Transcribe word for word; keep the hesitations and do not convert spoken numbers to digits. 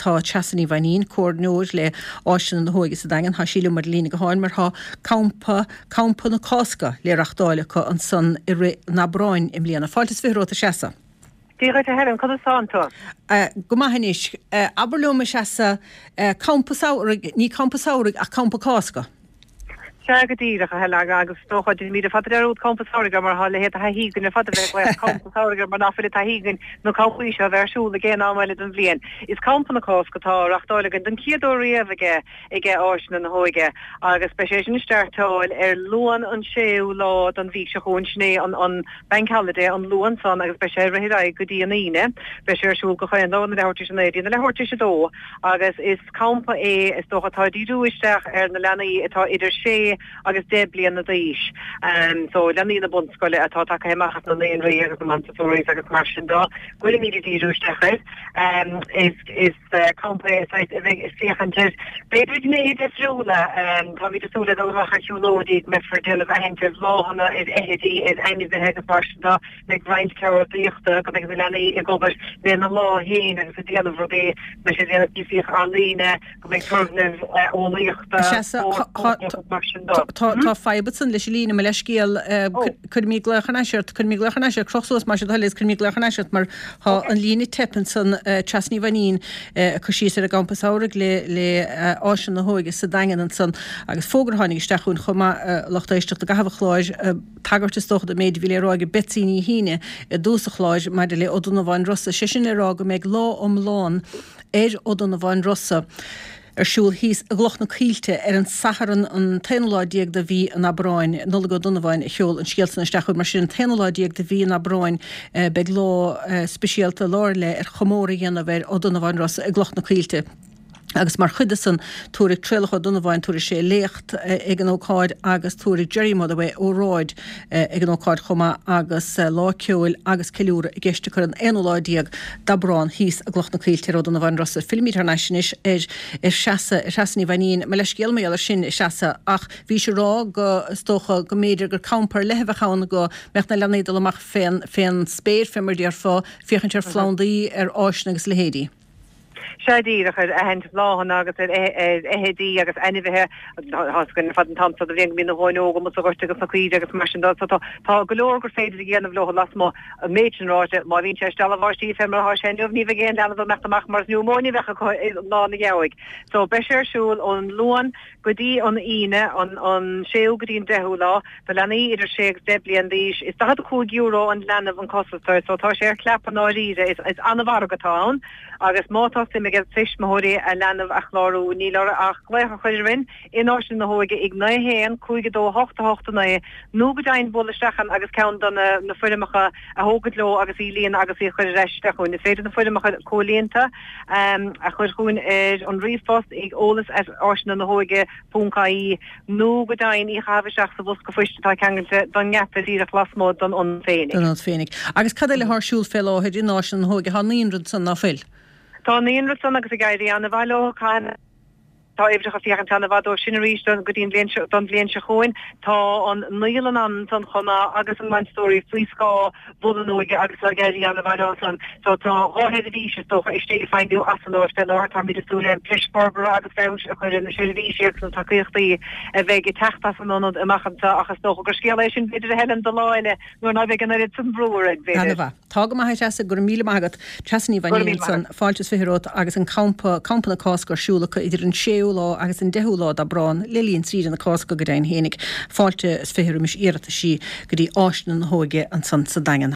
tá Treasa Ní Mhainnín, Comhairleoir le Áiseanna na hÓige sa Daingean, tá sí liom ar an líne gutháin mar tá Campa, Campa na Cásca le reachtáil acu ansan i rith an Aibreáin i mbliana. Fáilte is fiche romhat a Threasa. Dia dhuit a Helen, conas tánn tú? Go maith anois. Abair liom a Threasa, Campa Samhraidh, ní Campa Samhraidh ach Campa Cásca. Sea go díreach, a Helen, agus is dócha, déanaimid ar fad dearúd Campa Samhraidh air mar tá a leithéid de thaithí againn ar fad a bheith ag glaoch Campa Samhraidh air mar nach bhfuil taithí againn na campaí seo a bheith ar siúl ag aon am eile den bhliain. Is Campa na Cásca atá á reachtáil againn don chéad uair riamh aige aige Áiseanna na hÓige agus beidh sé sin ag startáil ar Luan an séú lá den mhí seo chugainn, sin é an an Bank Holiday, an Luan san agus beidh sé ag rith ar aghaidh go dtí an Aoine. Beidh sé ar siúl gach aon lá óna leathuair tar éis a naoi go dtí a leathuair tar éis a dó agus is campa é is dócha atá ag díriú isteach ar na leanaí atá idir sé agus deich bliana d'aois. So leanaí na bunscoile atá tagtha amach as na naíonraí agus na Montessoris agus mar sin de, go bhfuilimid ag díriú isteach air. Is is campa é saghas a bheidh ag féachaint ar b'fhéidir gnéithe difriúla. Táimid ag súil le dul amach ar shiúlóidí, go mbeifear ag déanamh aithint ar bhláthanna, ar fheithidí, ar ainmhithe agus mar sin de. Beidh roinnt ceardaíochta, go mbeidh na leanaí ag obair lena lámha féin agus ag déanamh rudaí, beidh siad ag déanamh píosaí ealaíne, go mbeidh turgnaimh eolaíochta, spórt, agus mar sin de. Tá fadhb ansan leis an líne, mo leithscéal, cuirfimid glaoch thar n-ais ort, cuirfimid glaoch thar n-ais ort, croch suas más é do thoil é agus cuirfimid glaoch thar n-ais ort mar tá an líne ag teip ansan, Treasa Ní Mhainnín ag cur síos ar an gcampa samhraidh le le Áiseanna na hÓige sa Daingean ansan agus fógra a tháinig isteach chugainn chomh maith, a lucht éisteachta i gcaitheamh an chláir, tagairt is dócha don méid a bhí le rá ag Betsy Ní hÍne i dtús an chláir maidir le Ó Donnabháin Rosa, sé sin le rá go mbeidh lá iomlán ar Ó Donnabháin Rosa ar siúl thíos i gCloch na Coillte ar an Satharn an t-aonú lá déag de mhí an Aibreáin. Nollaig Ó Donnabháin a sheol an scéal san isteach chugainn. Mar sin, an t-aonú lá déag de mhí an Aibreáin beidh lá speisialta, lá ar leith ar chomóradh a dhéanamh ar Ó Donnabháin Rosa i gCloch na Coillte. Agus mar chuid de san, tabharfaidh Traolach Ó Donnabháin, tabharfaidh sé léacht ag an ócáid agus tabharfaidh Jerry Motherway óráid ag an ócáid chomh maith agus lá ceoil agus ceiliúradh i gceist acu ar an aonú lá déag d'Aibreán thíos i gCloch na Coillte ar Ó Donnabháin Rosa. Fillimid thar n-ais anois ar ar Threasa, ar Threasa Ní Mhainnín. Mo leithscéal mar gheall ar sin, a Threasa, ach bhís ag rá go, is dócha, go mb'fhéidir gur campa ar leith a bheadh ann go mbeadh na leanaí ag dul amach fén, fén spéir, fé mar a déarfá, féachaint ar phlandaí, ar fháiseanna agus a leithéidí. Sea díreach, ar aithint bláthanna agus ar fheithidí agus ainmhithe. Tá fhios againn ar fad an t-am seo de bhliain go mbíonn na huain óga amuigh sa ghort agus na caoirigh agus mar sin de. So tá tá go leor gur féidir a dhéanamh leo lasmuigh. An méid sin ráite, má bhíonn sé ag stealladh báistí fé mar atá sé inniu, ní bheidh aon leanbh ag imeacht amach mar is niúmóine a bheadh acu i lá an gheimhridh. So beidh sé ar siúl ón Luan go dtí an Aoine, an an séú go dtí an deichiú lá, do leanaí idir sé agus deich bliain d'aois. Is daichead a cúig euro an leanbh an costas air, so tá sé ar chlap i ndáiríre. Is is an-mhargadh atá ann. Agus má tá suim ag tuismitheoirí a leanbh a chlárú, níl orthu ach glaoch a chur orainn in Áiseanna na hÓige ag naoi a haon, cúig a dó, a hocht, a hocht a naoi, nó go deimhin bualadh isteach ann agus ceann de na foirmeacha a thógaint leo agus í a líonadh agus í a chur ar ais isteach chugainn. Is féidir na foirmeacha comhlíonta a chur chugainn ar an ríomhphost ag eolas at áiseanna na hóige ponc ie nó go deimhin í a chaitheamh isteach sa bhosca phoist atá ceangailte don ngeata díreach lasmuigh don ionad féinig. Don ionad féinig. Agus cad eile atá ar siúl fé láthair in Áiseanna na hÓige? Tá an naíonra ansan, ná fuil? Tá an naíonra ansan agus ag éirí an-mhaith leo. Caithfidh. Tá uimhreacha féachaint an-mhaith dóibh sin arís don go dtí an bhliain seo don bhliain seo chugainn. Tá an naíolann ansan chomh maith agus an Montessori faoi scáth Bhun an Óige agus tá ag éirí an-mhaith leo san. So tá dhá sheirbhís is dócha istigh ag feidhmiú as an áit fé láthair. Táimid ag súil le breis forbartha agus feabhais a chur ar na seirbhísí agus na tacaíochtaí a bheidh ag teacht as an ionad amach anseo ach is dócha gur scéal é sin b'fhéidir a Helen do lá eile nuair ná beidh an oiread san brú orainn, b'fhéidir. Ana-mhaith. Tá go maith a Threasa, go raibh míle maith agat. Treasa Ní Go raibh Mhainnín míle maith ansan, agat. fáilte is fiche romhat agus an campa, Campa na Cásca ar siúl acu idir an séú lá agus an deichiú lá d'Aibreán le linn saoire na Cásca go deimhin fhéinig. Fáilte is fiche roimis iarrataisí go dtí Áiseanna na hÓige ansan sa Daingean.